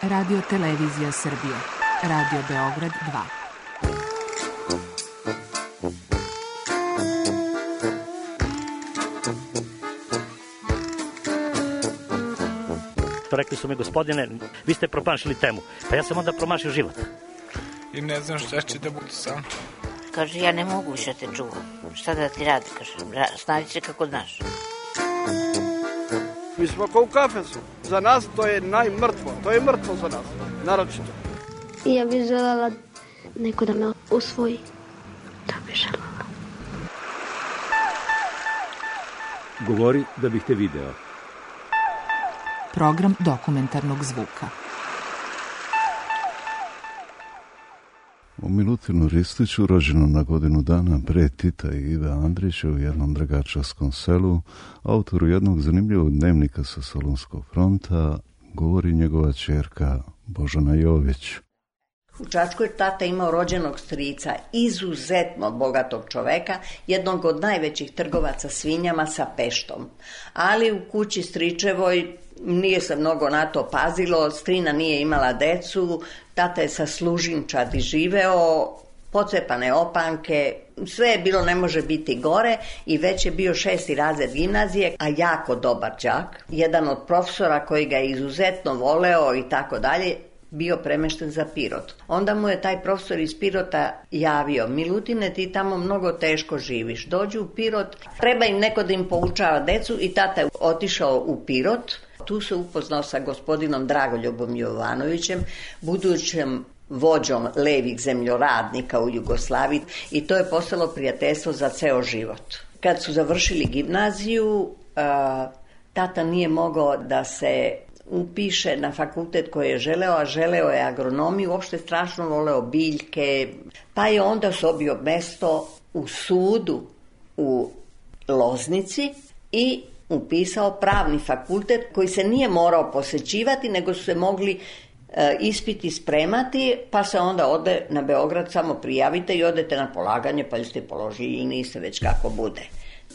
Radio Televizija Srbije. Radio Beograd 2. Rekli su mi, gospodine, vi ste promašili temu. Pa ja sam onda promašio život. I ne znam šta će da bude sam. Kaže, ja ne mogu više te čuvam. Šta da ti radi, kaže, snađi se kako znaš. Mi smo kao u kafesu. Za nas to je najmrtvo. To je mrtvo za nas, naročito. Ja bih želela neko da me usvoji. To bih želela. Govori da bih te video. Program dokumentarnog zvuka. U Milutinu Ristiću, rođenom na godinu dana pre Tita i Ive Andrića u jednom dragačevskom selu, autoru jednog zanimljivog dnevnika sa Solunskog fronta, govori njegova ćerka Božana Jović. U Čačku je tata imao rođenog strica, izuzetno bogatog čoveka, jednog od najvećih trgovaca svinjama sa Peštom. Ali u kući stričevoj nije se mnogo na to pazilo, strina nije imala decu, tata je sa služinčadi živeo, pocepane opanke, sve je bilo ne može biti gore i već je bio 6. razred gimnazije, a jako dobar đak. Jedan od profesora koji ga je izuzetno voleo i tako dalje, bio premešten za Pirot. Onda mu je taj profesor iz Pirota javio, Milutine, ti tamo mnogo teško živiš, dođi u Pirot, treba im neko da im poučava decu i tata je otišao u Pirot. Tu se upoznao sa gospodinom Dragoljubom Jovanovićem, budućim vođom levih zemljoradnika u Jugoslaviji i to je postalo prijateljstvo za ceo život. Kad su završili gimnaziju, tata nije mogao da se upiše na fakultet koji je želeo, a želeo je agronomiju, uopšte strašno voleo biljke, pa je onda sobio mesto u sudu u Loznici i upisao pravni fakultet koji se nije morao posećivati, nego su se mogli ispiti spremati, pa se onda ode na Beograd, samo prijavite i odete na polaganje, pa ste položili ili niste, već kako bude.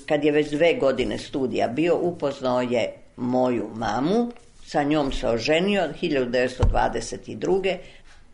Kad je već 2 godine studija bio, upoznao je moju mamu, sa njom se oženio 1922.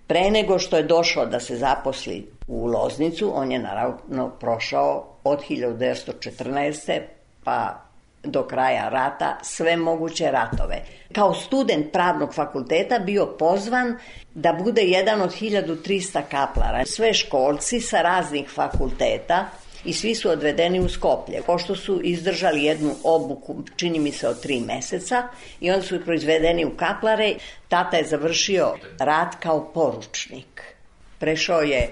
Pre nego što je došao da se zaposli u Loznicu, on je naravno prošao od 1914. pa do kraja rata sve moguće ratove. Kao student pravnog fakulteta bio pozvan da bude jedan od 1300 kaplara. Sve školci sa raznih fakulteta i svi su odvedeni u Skoplje. Pošto su izdržali jednu obuku, čini mi se od 3 meseca, i onda su proizvedeni u kaplare. Tata je završio rat kao poručnik. Prešao je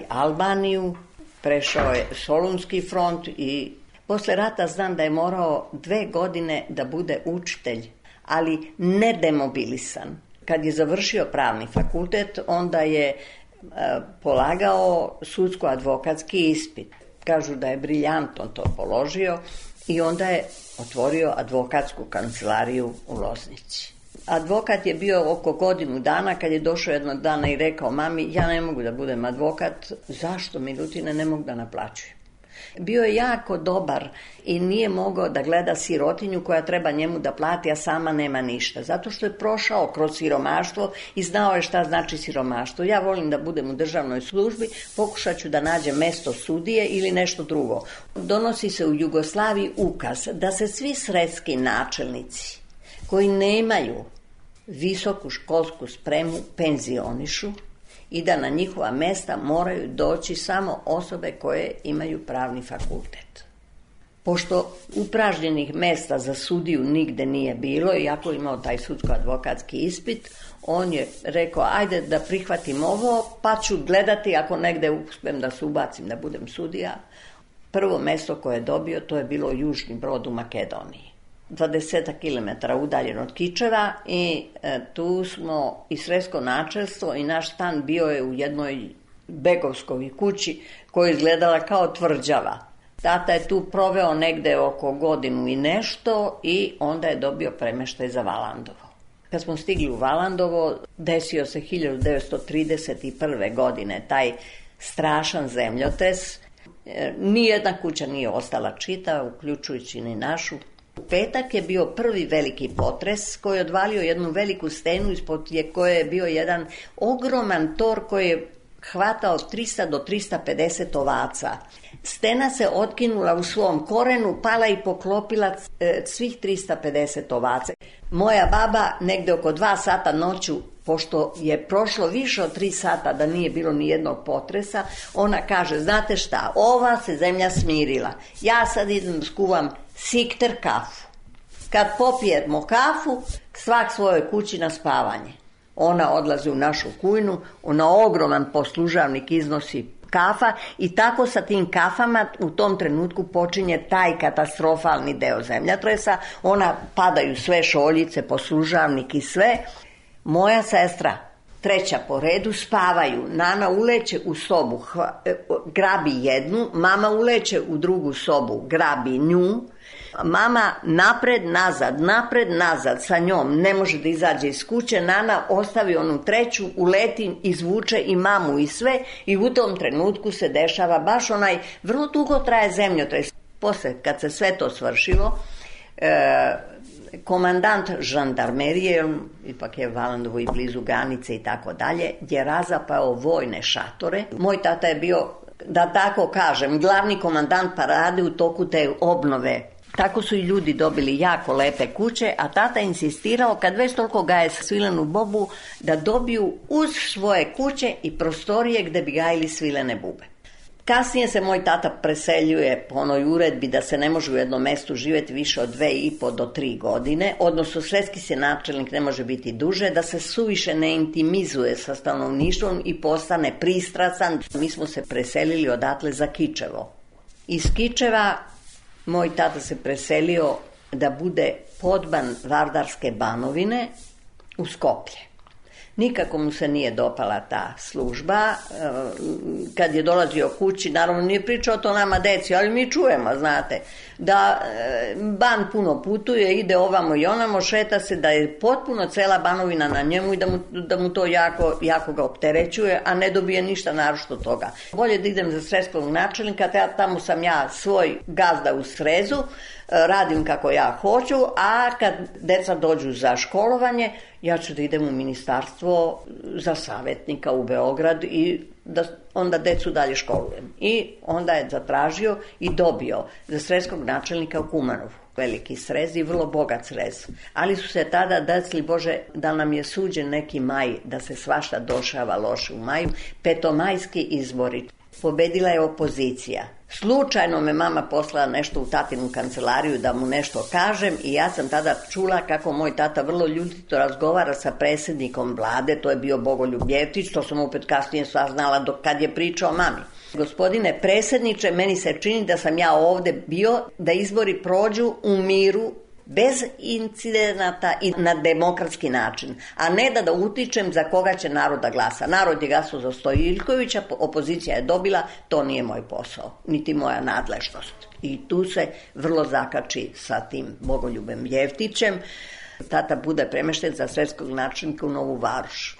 Albaniju, prešao je Solunski front i posle rata znam da je morao 2 godine da bude učitelj, ali ne demobilisan. Kad je završio pravni fakultet, onda je polagao sudsko-advokatski ispit. Kažu da je briljantno to položio i onda je otvorio advokatsku kancelariju u Loznici. Advokat je bio oko godinu dana, kad je došao jednog dana i rekao mami, ja ne mogu da budem advokat. Zašto, Milutine, ne mogu da naplaćujem? Bio je jako dobar i nije mogao da gleda sirotinju koja treba njemu da plati, a sama nema ništa. Zato što je prošao kroz siromaštvo i znao je šta znači siromaštvo. Ja volim da budem u državnoj službi, pokušat ću da nađem mesto sudije ili nešto drugo. Donosi se u Jugoslaviji ukaz da se svi sredski načelnici koji nemaju visoku školsku spremu penzionišu i da na njihova mesta moraju doći samo osobe koje imaju pravni fakultet. Pošto upražnjenih mesta za sudiju nigde nije bilo, iako je imao taj sudsko-advokatski ispit, on je rekao, ajde da prihvatim ovo, pa ću gledati ako negde uspijem da se ubacim da budem sudija. Prvo mesto koje je dobio, to je bilo Južni Brod u Makedoniji. 20 km udaljen od Kičeva i tu smo i sredsko načelstvo i naš stan bio je u jednoj begovskoj kući koja je izgledala kao tvrđava. Tata je tu proveo negde oko godinu i nešto i onda je dobio premeštaj za Valandovo. Kad smo stigli u Valandovo, desio se 1931. godine taj strašan zemljotres. Nijedna kuća nije ostala čita, uključujući ni našu. Petak je bio prvi veliki potres koji je odvalio jednu veliku stenu ispod koje je bio jedan ogroman tor koji je hvatao 300 do 350 ovaca. Stena se otkinula u svom korenu, pala i poklopila svih 350 ovaca. Moja baba negde oko 2 sata noću, pošto je prošlo više od 3 sata da nije bilo ni jednog potresa, ona kaže, znate šta, ova se zemlja smirila. Ja sad idem skuvam sikter kafu. Kad popijemo kafu, svak svojoj kući na spavanje. Ona odlazi u našu kujnu, ona ogroman poslužavnik iznosi kafa i tako sa tim kafama u tom trenutku počinje taj katastrofalni deo zemljotresa. Ona padaju sve šoljice, poslužavnik i sve. Moja sestra, 3. po redu, spavaju. Nana uleće u sobu, grabi jednu, mama uleće u drugu sobu, grabi nju. Mama napred, nazad sa njom, ne može da izađe iz kuće. Nana ostavi onu 3, uleti, izvuče i mamu i sve i u tom trenutku se dešava baš onaj, vrlo dugo traje zemljotres. Posle, kad se sve to svršilo, komandant žandarmerije, ipak je Valandovo i blizu granice i tako dalje, je razapao vojne šatore. Moj tata je bio, da tako kažem, glavni komandant parade u toku te obnove. Tako su i ljudi dobili jako lepe kuće, a tata insistirao, kad već toliko gaje svilenu bobu, da dobiju uz svoje kuće i prostorije gde bi gajili svilene bube. Kasnije se moj tata preseljuje po onoj uredbi da se ne može u jednom mestu živjeti više od 2,5 do 3 godine, odnosno sredski se načelnik ne može biti duže, da se suviše ne intimizuje sa stanovništvom i postane pristrasan. Mi smo se preselili odatle za Kičevo. Iz Kičeva moj tata se preselio da bude podban Vardarske Banovine u Skoplje. Nikako mu se nije dopala ta služba. Kad je dolazio kući, naravno nije pričao to nama deci, ali mi čujemo, znate, da ban puno putuje, ide ovamo i onamo, šeta se, da je potpuno cela Banovina na njemu i da mu to jako ga opterećuje, a ne dobije ništa naročito toga. Bolje da idem za sredskog načelnika, tamo sam ja svoj gazda u srezu, radim kako ja hoću, a kad deca dođu za školovanje, ja ću da idem u ministarstvo za savjetnika u Beograd i da onda decu dalje školujem. I onda je zatražio i dobio za sredskog načelnika u Kumanovu. Veliki srez i vrlo bogat srez. Ali su se tada desili, Bože, da nam je suđen neki maj, da se svašta dešava loše u maju, petomajski izbori. Pobedila je opozicija. Slučajno me mama poslala nešto u tatinu kancelariju da mu nešto kažem i ja sam tada čula kako moj tata vrlo ljutito razgovara sa predsjednikom vlade, to je bio Bogoljub Jeftić, to sam opet kasnije saznala kad je pričao mami. Gospodine predsjedniče, meni se čini da sam ja ovde bio da izbori prođu u miru, bez incidenata i na demokratski način, a ne da utičem za koga će narod da glasa. Narod je glasao za Stojiljkovića, opozicija je dobila, to nije moj posao, niti moja nadležnost. I tu se vrlo zakači sa tim Bogoljubem Jeftićem. Tata bude premešten za sredskog načelnika u Novu Varoš.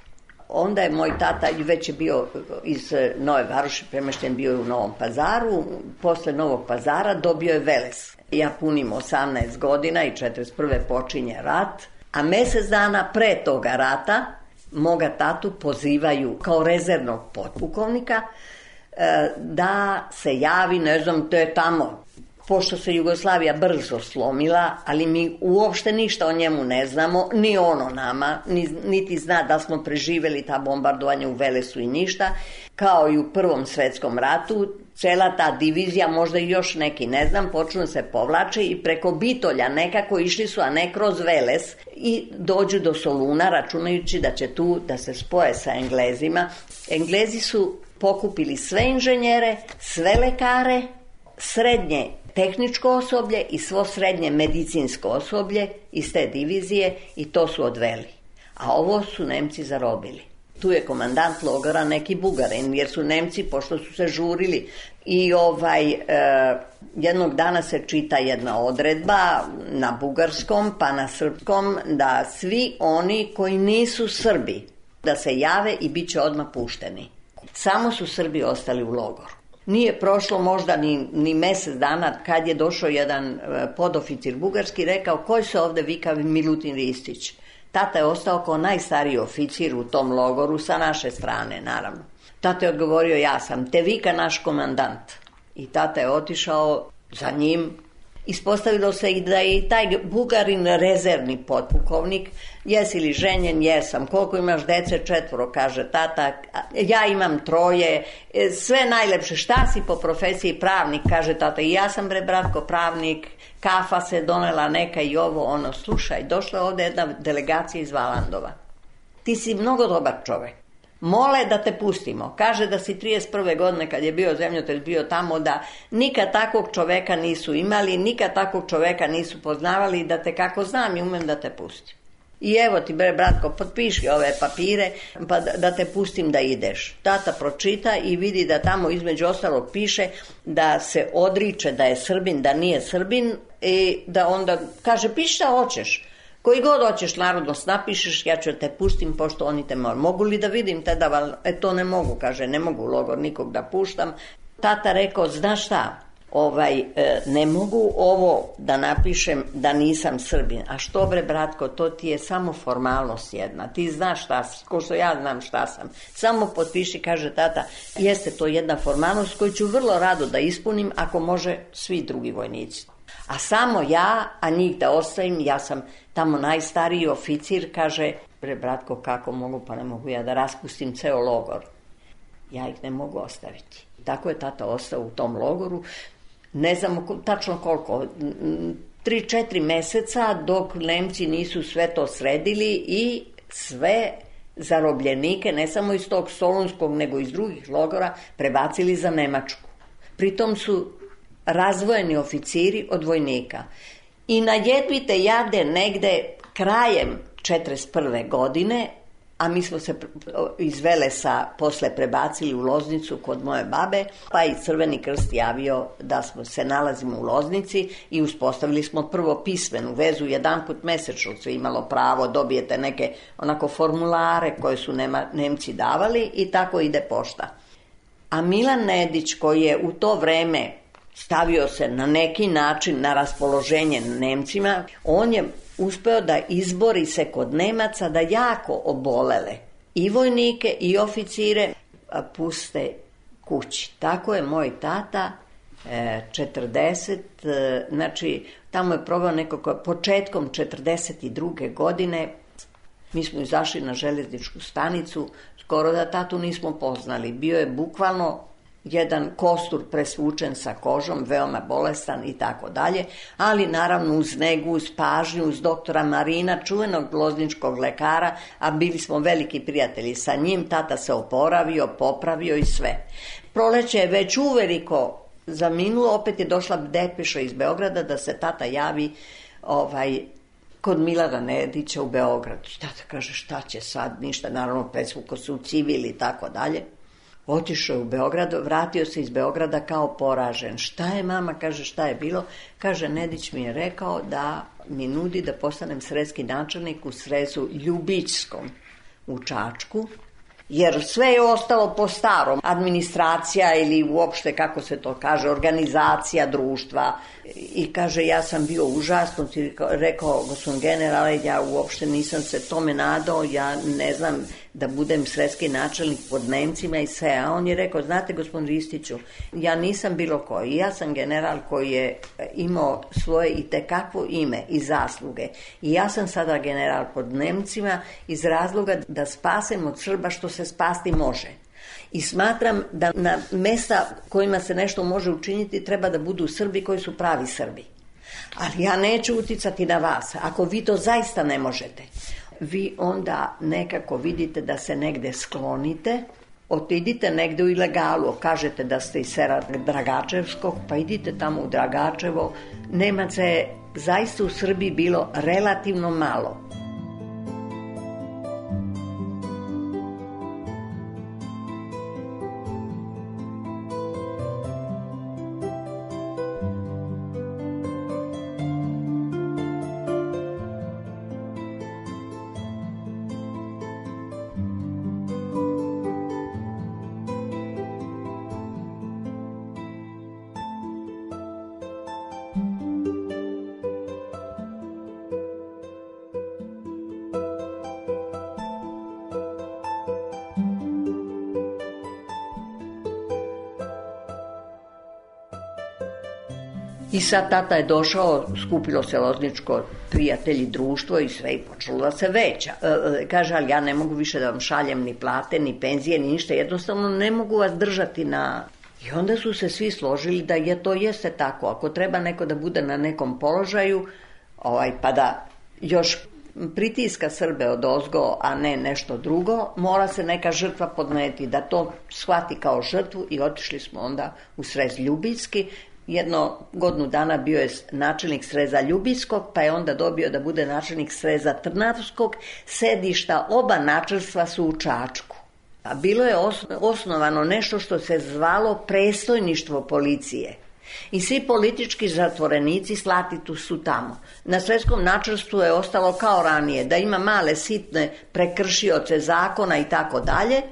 Onda je moj tata, već je bio iz Nove Varoši, premešten bio u Novom Pazaru, posle Novog Pazara dobio je Veles. Ja punim 18 godina i 41. počinje rat, a mjesec dana pre toga rata moga tatu pozivaju kao rezervnog potpukovnika da se javi, ne znam, to je tamo, pošto se Jugoslavija brzo slomila, ali mi uopšte ništa o njemu ne znamo, ni ono nama, niti zna da smo preživjeli ta bombardovanja u Velesu i ništa, kao i u Prvom svjetskom ratu, cela ta divizija, možda i još neki, ne znam, počnu se povlače i preko Bitolja nekako išli su, a ne kroz Veles, i dođu do Soluna, računajući da će tu da se spoje sa Englezima. Englezi su pokupili sve inženjere, sve lekare, srednje tehničko osoblje i svo srednje medicinsko osoblje iz te divizije i to su odveli. A ovo su Nemci zarobili. Tu je komandant logora neki Bugarin, jer su Nemci, pošto su se žurili, i jednog dana se čita jedna odredba na bugarskom pa na srpskom da svi oni koji nisu Srbi da se jave i bit će odmah pušteni. Samo su Srbi ostali u logoru. Nije prošlo možda ni mjesec dana kad je došao jedan podoficir bugarski, rekao koji se ovdje vika Milutin Ristić. Tata je ostao kao najstariji oficir u tom logoru sa naše strane, naravno. Tata je odgovorio, ja sam, te vika naš komandant. I tata je otišao za njim. Ispostavilo se i da je i taj Bugarin rezervni potpukovnik. Jesi li ženjen? Jesam. Koliko imaš dece? 4, kaže tata. Ja imam 3. Sve najlepše. Šta si po profesiji? Pravnik, kaže tata. I ja sam, bre, bratko, pravnik. Kafa se donela neka i ovo, ono. Slušaj, došla je ovdje jedna delegacija iz Valandova. Ti si mnogo dobar čovjek. Mole da te pustimo. Kaže da si 31. godine kad je bio zemljotres bio tamo, da nikad takvog čoveka nisu imali, nikad takvog čoveka nisu poznavali, da te kako znam i umem da te pustim. I evo ti, bre, bratko, potpiši ove papire pa da te pustim da ideš. Tata pročita i vidi da tamo između ostalog piše da se odriče da je Srbin, da nije Srbin, i da onda kaže piši šta hoćeš. Koji god hoćeš narodnost napišeš, ja ću te pustim pošto oni te mogu li da vidim te da to ne mogu, kaže, ne mogu u logor nikog da puštam. Tata rekao, znaš šta, ne mogu ovo da napišem da nisam Srbin. A što, bre, bratko, to ti je samo formalnost jedna. Ti znaš šta si, ko što ja znam šta sam. Samo potpiši, kaže tata, jeste to jedna formalnost koju ću vrlo rado da ispunim ako može svi drugi vojnici. A samo ja, a njih da ostavim, ja sam tamo najstariji oficir, kaže, bre, bratko, kako mogu, pa ne mogu ja da raspustim ceo logor. Ja ih ne mogu ostaviti. Tako je tata ostao u tom logoru, ne znamo tačno koliko, 3-4 meseca dok Nemci nisu sve to sredili i sve zarobljenike, ne samo iz tog Solunskog, nego iz drugih logora, prebacili za Nemačku. Pritom su razvojeni oficiri od vojnika. I na jedvite jade negde krajem 41. godine, a mi smo se iz Velesa posle prebacili u Loznicu kod moje babe, pa i Crveni krst javio da se nalazimo u Loznici i uspostavili smo prvo pismenu vezu, jedanput mesečno se imalo pravo, dobijete neke onako formulare koje su Nemci davali i tako ide pošta. A Milan Nedić, koji je u to vreme stavio se na neki način na raspoloženje Nemcima, on je uspeo da izbori se kod Nemaca da jako obolele i vojnike i oficire puste kući. Tako je moj tata 40, znači tamo je proveo nekako početkom 42. godine. Mi smo izašli na željezničku stanicu, skoro da tatu nismo poznali. Bio je bukvalno jedan kostur presvučen sa kožom, veoma bolestan i tako dalje, ali naravno uz negu, uz pažnju, uz doktora Marina, čuvenog lozničkog lekara, a bili smo veliki prijatelji sa njim, tata se oporavio, popravio i sve. Proleće je već uveliko zaminulo, opet je došla depeša iz Beograda da se tata javi kod Milana Nedića u Beogradu. Tata kaže šta će sad, ništa, naravno presvuko se u civil i tako dalje. Otišao je u Beograd, vratio se iz Beograda kao poražen. Šta je, mama? Kaže, šta je bilo? Kaže, Nedić mi je rekao da mi nudi da postanem sredski načelnik u srezu Ljubićskom u Čačku, jer sve je ostalo po starom. Administracija ili uopšte, kako se to kaže, organizacija društva. I kaže, ja sam bio užasno, rekao, gospodin generale, ja uopšte nisam se tome nadao, ja ne znam da budem sredski načelnik pod Nemcima i sve. A on je rekao, znate, gospodin Ristiću, ja nisam bilo koji, ja sam general koji je imao svoje itekakvo ime i zasluge. I ja sam sada general pod Nemcima iz razloga da spasem od Srba što se spasti može. I smatram da na mesta kojima se nešto može učiniti treba da budu Srbi koji su pravi Srbi. Ali ja neću uticati na vas. Ako vi to zaista ne možete, vi onda nekako vidite da se negde sklonite, otidite negde u ilegalu, kažete da ste iz sela Dragačevskog, pa idite tamo u Dragačevo. Nemaca je zaista u Srbiji bilo relativno malo. I sad tata je došao, skupilo se Lozničko prijatelji, društvo i sve, i počelo da se veća. Kaže, ali ja ne mogu više da vam šaljem ni plate, ni penzije, ni ništa, jednostavno ne mogu vas držati na... I onda su se svi složili da to jeste tako. Ako treba neko da bude na nekom položaju, pa da još pritiska Srbe odozgo, a ne nešto drugo, mora se neka žrtva podneti, da to shvati kao žrtvu i otišli smo onda u Srez Ljubinski. Jedno godinu dana bio je načelnik Sreza Ljubinskog, pa je onda dobio da bude načelnik Sreza Trnavskog. Sedišta oba načelstva su u Čačku. A bilo je osnovano nešto što se zvalo predstojništvo policije. I svi politički zatvorenici slati su tamo. Na Sretskom načelstvu je ostalo kao ranije, da ima male sitne prekršioce zakona i tako dalje.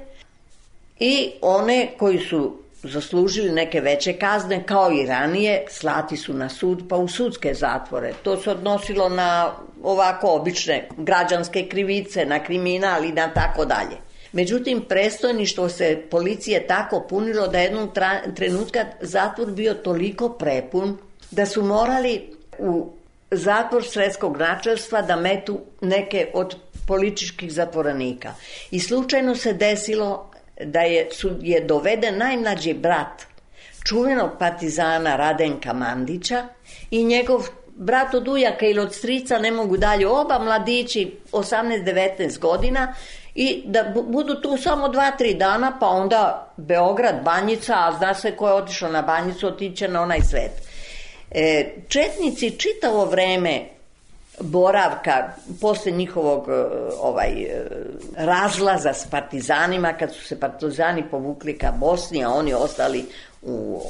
I one koji su zaslužili neke veće kazne, kao i ranije, slati su na sud pa u sudske zatvore. To se odnosilo na ovako obične građanske krivice, na kriminal i na tako dalje. Međutim, predstojništvo se policije tako punilo da jednog trenutka zatvor bio toliko prepun da su morali u zatvor Sretskog načelstva da metu neke od političkih zatvorenika. I slučajno se desilo da je doveden najmlađi brat čuvenog partizana Radenka Mandića i njegov brat od ujaka ili od strica, ne mogu dalje, oba mladići 18-19 godina, i da budu tu samo 2-3 dana, pa onda Beograd, Banjica, a zna se ko je otišao na Banjicu, otiće na onaj svet. Četnici čitavo vreme boravka, posle njihovog razlaza s partizanima, kad su se partizani povukli ka Bosni, a oni ostali u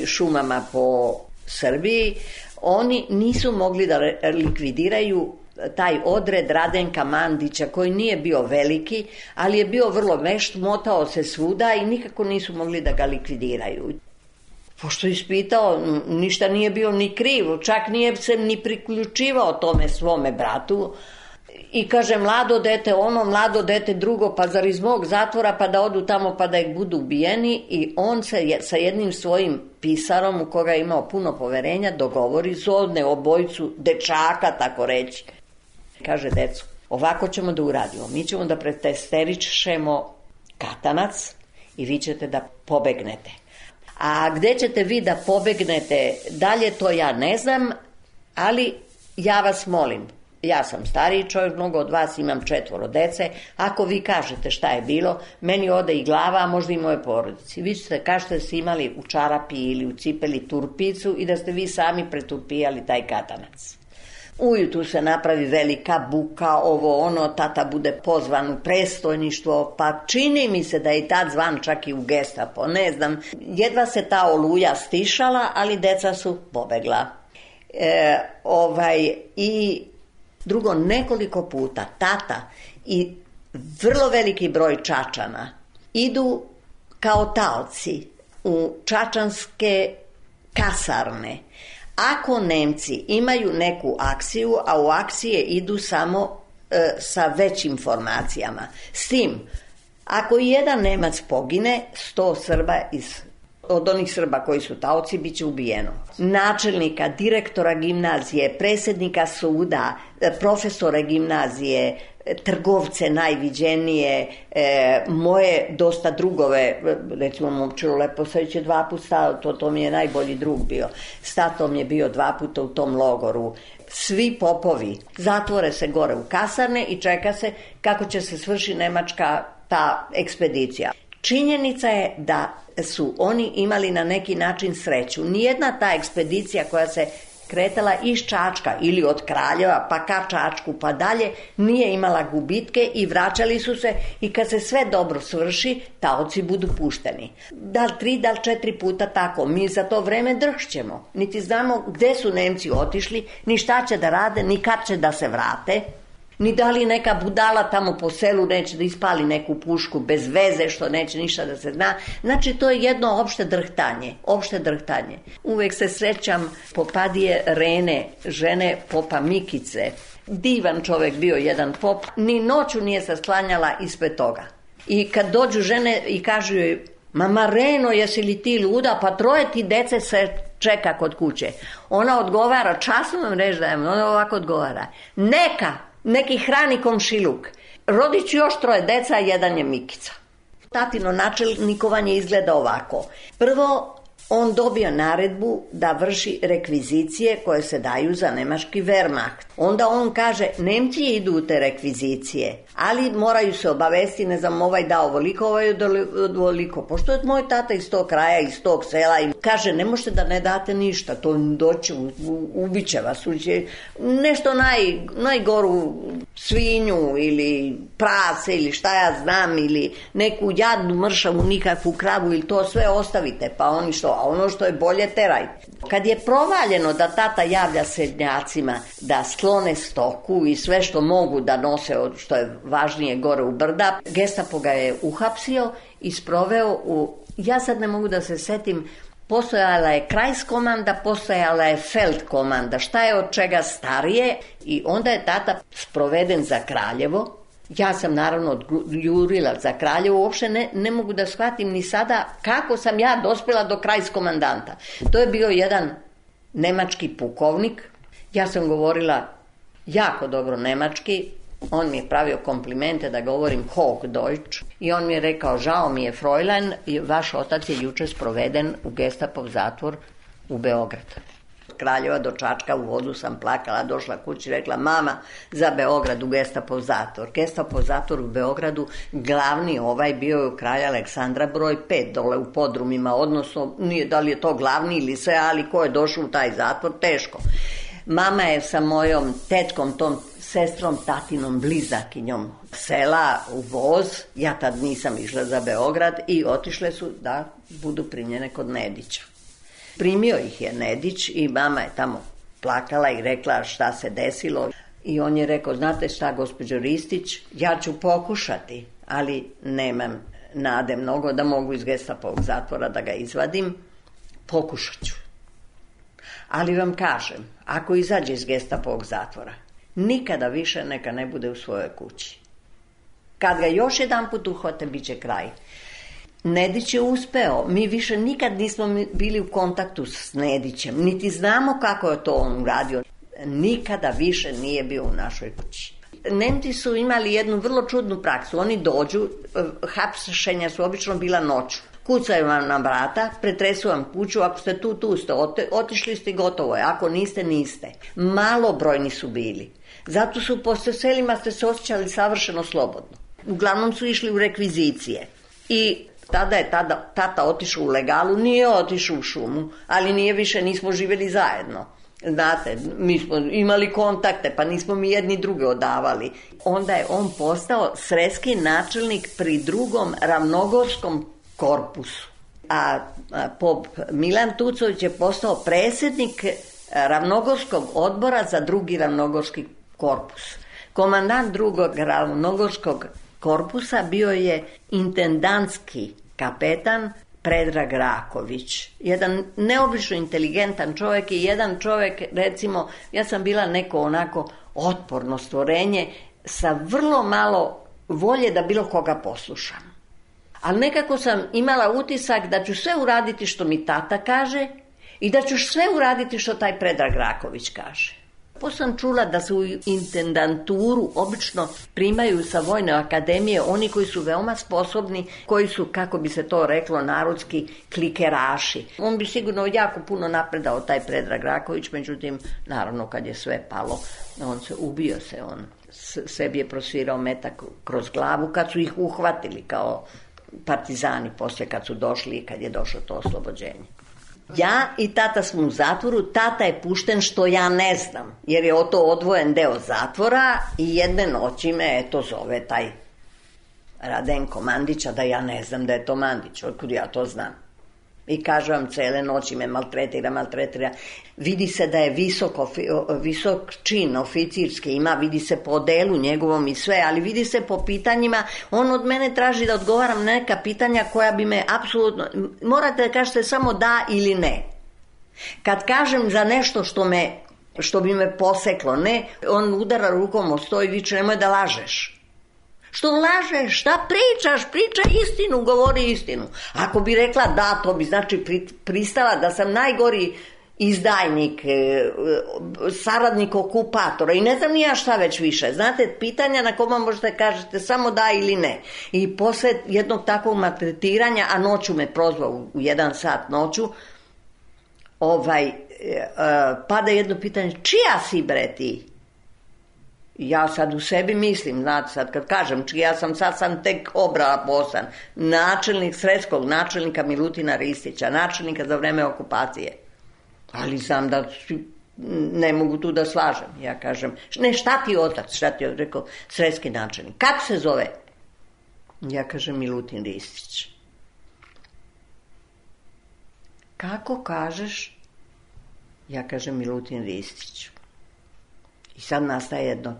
šumama po Srbiji, oni nisu mogli da likvidiraju taj odred Radenka Mandića, koji nije bio veliki, ali je bio vrlo vešt, motao se svuda i nikako nisu mogli da ga likvidiraju. Pošto je ispitao, ništa nije bio ni kriv, čak nije se ni priključivao tome svome bratu. I kaže, mlado dete ono, mlado dete drugo, pa zar iz mog zatvora, pa da odu tamo, pa da ih budu ubijeni. I on se sa jednim svojim pisarom, u koga je imao puno poverenja, dogovori, zovne obojicu dečaka, tako reći. Kaže, deco, ovako ćemo da uradimo. Mi ćemo da pretesterišemo katanac i vi ćete da pobegnete. A gde ćete vi da pobegnete dalje, to ja ne znam, ali ja vas molim. Ja sam stariji čovjek, mnogo od vas, imam 4 dece. Ako vi kažete šta je bilo, meni ode i glava, a možda i moje porodici. Vi ćete kažete da ste imali u čarapi ili u cipeli turpicu i da ste vi sami preturpijali taj katanac. Ujutru se napravi velika buka, ovo ono, tata bude pozvan u predstojništvo, pa čini mi se da je tad zvan čak i u Gestapo, ne znam. Jedva se ta oluja stišala, ali deca su pobegla. I drugo, nekoliko puta tata i vrlo veliki broj Čačana idu kao taoci u čačanske kasarne. Ako Nemci imaju neku akciju, a u akcije idu samo sa većim formacijama. S tim, ako i jedan Nemac pogine, 100 Srba od onih Srba koji su taoci bit će ubijeno. Načelnika, direktora gimnazije, predsjednika suda, profesore gimnazije, trgovce najviđenije, moje dosta drugove, recimo Momčilo Leposavić je 2 puta stao, to mi je najbolji drug bio. S tatom je bio 2 puta u tom logoru. Svi popovi zatvore se gore u kasarne i čeka se kako će se svrši nemačka ta ekspedicija. Činjenica je da su oni imali na neki način sreću. Nijedna ta ekspedicija koja se kretala iz Čačka ili od Kraljeva pa ka Čačku pa dalje nije imala gubitke i vraćali su se i kad se sve dobro svrši, taoci budu pušteni. Da li 3, da li 4 puta tako. Mi za to vreme drhćemo. Niti znamo gde su Nemci otišli, ni šta će da rade, ni kad će da se vrate. Ni da li neka budala tamo po selu neće da ispali neku pušku bez veze, što neće ništa da se zna. Znači, to je jedno opšte drhtanje. Uvek se srećam Popadije Rene, žene popa Mikice. Divan čovek bio jedan pop, ni noću nije se sklanjala ispred toga. I kad dođu žene i kažu joj, mama Reno, jesi li ti luda, pa 3 ti dece se čeka kod kuće. Ona odgovara, časno vam reći da je, ona ovako odgovara. Neki hrani komšiluk. Rodit ću još 3 deca, jedan je Mikica. Tatino načelnikovanje izgleda ovako. Prvo, on dobio naredbu da vrši rekvizicije koje se daju za nemački Wehrmacht. Onda on kaže, Nemci idu u te rekvizicije, ali moraju se obavesti, ne znam, ovaj dao ovoliko, ovaj ovoliko. Pošto je moj tata iz tog kraja, iz tog sela, i kaže, ne možete da ne date ništa, to doći, ubiće vas, nešto najgoru svinju ili prase ili šta ja znam, ili neku jadnu mršavu, nikakvu kravu, ili to sve ostavite, pa oni što, a ono što je bolje terajte. Kad je provaljeno da tata javlja srednjacima da sklone stoku i sve što mogu da nose, što je važnije, gore u brda, Gestapo ga je uhapsio i sproveo u, ja sad ne mogu da se setim, postojala je Kreiskomanda, postojala je Feldkomanda, šta je od čega starije, i onda je tata sproveden za Kraljevo. Ja sam naravno jurila za Kraljevo, uopšte ne mogu da shvatim ni sada kako sam ja dospjela do Kreiskomandanta. To je bio jedan nemački pukovnik, ja sam govorila jako dobro nemački, on mi je pravio komplimente da govorim Hochdeutsch i on mi je rekao, žao mi je Fräulein, vaš otac je jučer sproveden u Gestapov zatvor u Beograd. Kraljeva do Čačka, u vodu sam plakala, došla kući, rekla, mama, za Beograd u Gestapov zatvor. Gestapov zatvor u Beogradu, glavni bio je u Kralja Aleksandra broj 5, dole u podrumima, odnosno, nije da li je to glavni ili sve, ali ko je došao u taj zatvor, teško. Mama je sa mojom tetkom, tom sestrom, tatinom, blizakinjom sela u voz, ja tad nisam išla za Beograd, i otišle su da budu primljene kod Nedića. Primio ih je Nedić i mama je tamo plakala i rekla šta se desilo. I on je rekao, znate šta, gospođo Ristić, ja ću pokušati, ali nemam nade mnogo da mogu iz Gestapovog zatvora da ga izvadim. Pokušat ću. Ali vam kažem, ako izađe iz Gestapovog zatvora, nikada više neka ne bude u svojoj kući. Kad ga još jedan put uhvate, bit će kraj. Nedić je uspeo, mi više nikad nismo bili u kontaktu s Nedićem, niti znamo kako je to on uradio. Nikada više nije bio u našoj kući. Nemci su imali jednu vrlo čudnu praksu, oni dođu, hapšenja su obično bila noću. Kucaju vam na vrata, pretresu vam kuću, ako ste tu ste, otišli ste, gotovo je, ako niste, niste. Malobrojni su bili, zato su po selima ste se osjećali savršeno slobodno. Uglavnom su išli u rekvizicije i tada je tata otišao u legalu, nije otišao u šumu, ali nismo živjeli zajedno. Znate, mi smo imali kontakte, pa nismo mi jedni druge odavali. Onda je on postao sredski načelnik pri 2. ravnogorskom korpusu. A pop Milan Tucović je postao predsjednik ravnogorskog odbora za 2. ravnogorski korpus. Komandant 2. ravnogorskog korpusa bio je intendantski kapetan Predrag Raković. Jedan neobično inteligentan čovjek i jedan čovjek, recimo, ja sam bila neko onako otporno stvorenje sa vrlo malo volje da bilo koga poslušam. Ali nekako sam imala utisak da ću sve uraditi što mi tata kaže i da ću sve uraditi što taj Predrag Raković kaže. Poslije sam čula da se u intendanturu obično primaju sa Vojne akademije oni koji su veoma sposobni, koji su, kako bi se to reklo narodski, klikeraši. On bi sigurno jako puno napredao, taj Predrag Raković, međutim, naravno kad je sve palo, ubio se on. Sebi je prosvirao metak kroz glavu kad su ih uhvatili kao partizani poslije kad su došli i kad je došlo to oslobođenje. Ja i tata smo u zatvoru, tata je pušten što ja ne znam, jer je to odvojen deo zatvora i jedne noći me zove taj Radenko Mandića, da ja ne znam da je to Mandić, otkud ja to znam. I kaže vam, cele noći me maltretira. Vidi se da je visok čin oficirski ima, vidi se po delu njegovom i sve, ali vidi se po pitanjima, on od mene traži da odgovaram neka pitanja koja bi me apsolutno, morate da kažete samo da ili ne. Kad kažem za nešto što bi me poseklo, ne, on udara rukom o sto i viče, nemoj da lažeš. Što lažeš, šta pričaš, pričaj istinu, govori istinu. Ako bi rekla da, to bi znači pristala da sam najgori izdajnik, saradnik okupatora i ne znam ni ja šta već više. Znate, pitanja na kojima možete kažete samo da ili ne. I posle jednog takvog maltretiranja, a noću me prozvao u 1 sat noću, pada jedno pitanje, čija si bre ti? Ja sad u sebi mislim, znate, sad kad kažem čija sad sam tek obrala poslan. Načelnik Sredskog, načelnika Milutina Ristića, načelnika za vreme okupacije. Ali znam da ne mogu tu da slažem. Ja kažem, ne, šta ti otac? Šta ti je rekao? Sredski načelnik. Kako se zove? Ja kažem, Milutin Ristić. Kako kažeš? Ja kažem, Milutin Ristić. I sad nastaje jedno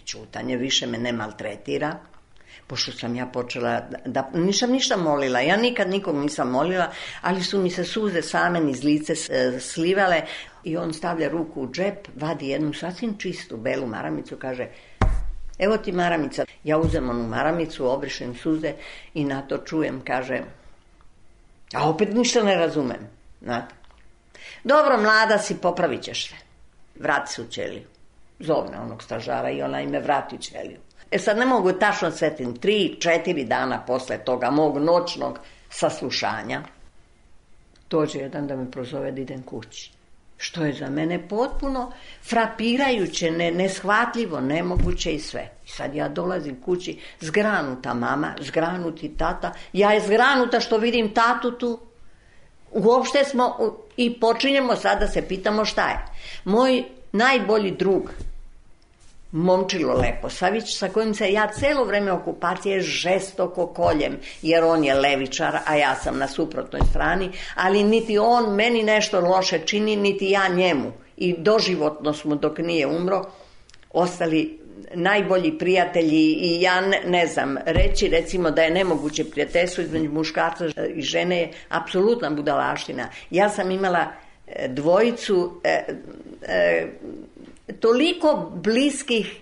čutanje. Više me ne maltretira. Pošto sam ja počela, nisam ništa molila, ja nikad nikog nisam molila, ali su mi se suze same niz lice slivale i on stavlja ruku u džep, vadi jednu sasvim čistu belu maramicu, kaže, evo ti maramica. Ja uzem onu maramicu, obrišem suze i na to čujem, kaže, a opet ništa ne razumem. Znate? Dobro, mlada si, popravit ćeš se. Vrati se u ćeliju. Zovne onog stražara i ona ime vrati u ćeliju. Sad ne mogu tačno setim, 3-4 dana posle toga mog noćnog saslušanja, dođe jedan da me prozove da idem kući. Što je za mene potpuno frapirajuće, neshvatljivo, nemoguće i sve. I sad ja dolazim kući, zgranuta mama, zgranuti tata, ja je zgranuta što vidim tatu tu. Uopšte smo i počinjemo sad da se pitamo šta je. Moj najbolji drug, Momčilo Leposavić, sa kojim se ja celo vreme okupacije žestoko koljem, jer on je levičar, a ja sam na suprotnoj strani, ali niti on meni nešto loše čini, niti ja njemu. I doživotno smo, dok nije umro, ostali najbolji prijatelji i ja ne znam, reći recimo da je nemoguće prijateljstvo između muškarca i žene je apsolutna budalaština. Ja sam imala dvojicu toliko bliskih,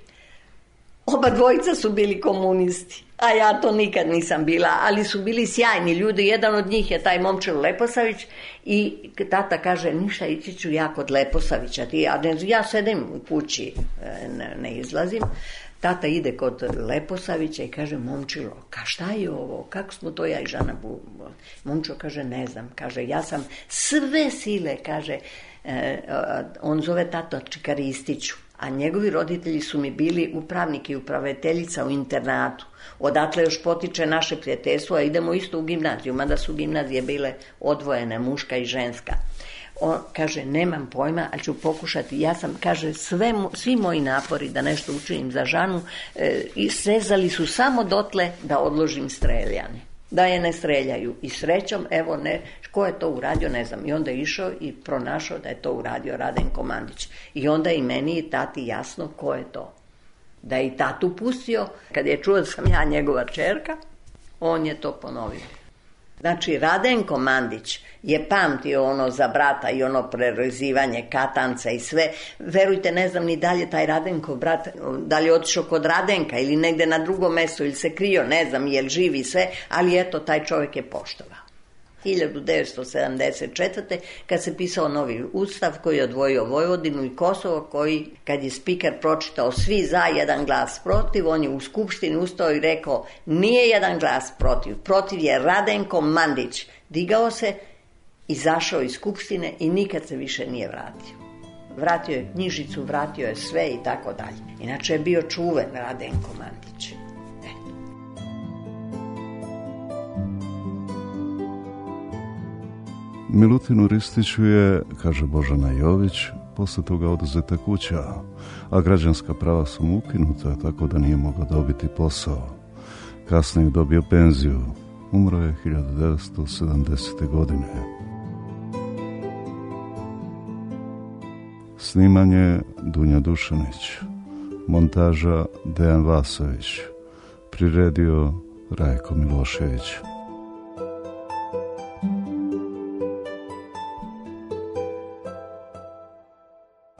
oba dvojica su bili komunisti, a ja to nikad nisam bila, ali su bili sjajni ljudi. Jedan od njih je taj Momčilo Leposavić i tata kaže, ništa, ići ću ja kod Leposavića, ja sedem u kući, ne izlazim. Tata ide kod Leposavića i kaže, Momčilo, šta je ovo, kako smo to ja i Žana Momčilo kaže, ne znam, kaže, ja sam sve sile, kaže, on zove tato Čikaristiću, a njegovi roditelji su mi bili upravnik i upraviteljica u internatu. Odatle još potiče naše prijateljstvo, a idemo isto u gimnaziju, mada su gimnazije bile odvojene, muška i ženska. On kaže, nemam pojma, ali ću pokušati. Ja sam, kaže, svi moji napori da nešto učinim za Žanu srezali su samo dotle da odložim streljane. Da je ne streljaju. I srećom, evo, ko je to uradio, ne znam. I onda je išao i pronašao da je to uradio Radenko Mandić. I onda i meni i tati jasno ko je to. Da je i tatu pustio, kad je čuo da sam ja njegova čerka, on je to ponovio. Znači, Radenko Mandić je pamtio ono za brata i ono prerezivanje katanca i sve. Verujte, ne znam ni dalje taj Radenko brat, da li je otišao kod Radenka ili negde na drugom mestu ili se krio, ne znam, je li živi sve, ali eto, taj čovjek je poštovao. 1974. kad se pisao novi ustav koji je odvojio Vojvodinu i Kosovo, koji, kad je spiker pročitao svi za, jedan glas protiv, on je u skupštini ustao i rekao, nije jedan glas protiv, protiv je Radenko Mandić. Digao se, izašao iz skupštine i nikad se više nije vratio. Vratio je knjižicu, vratio je sve i tako dalje. Inače je bio čuven Radenko Mandić. Milutinu Ristiću je, kaže Božana Jović, posle toga oduzeta kuća, a građanska prava su mu ukinuta, tako da nije mogao dobiti posao. Kasnije dobio penziju. Umro je 1970. godine. Snimanje Dunja Dušanić. Montaža Dejan Vasović. Priredio Rajko Milošević.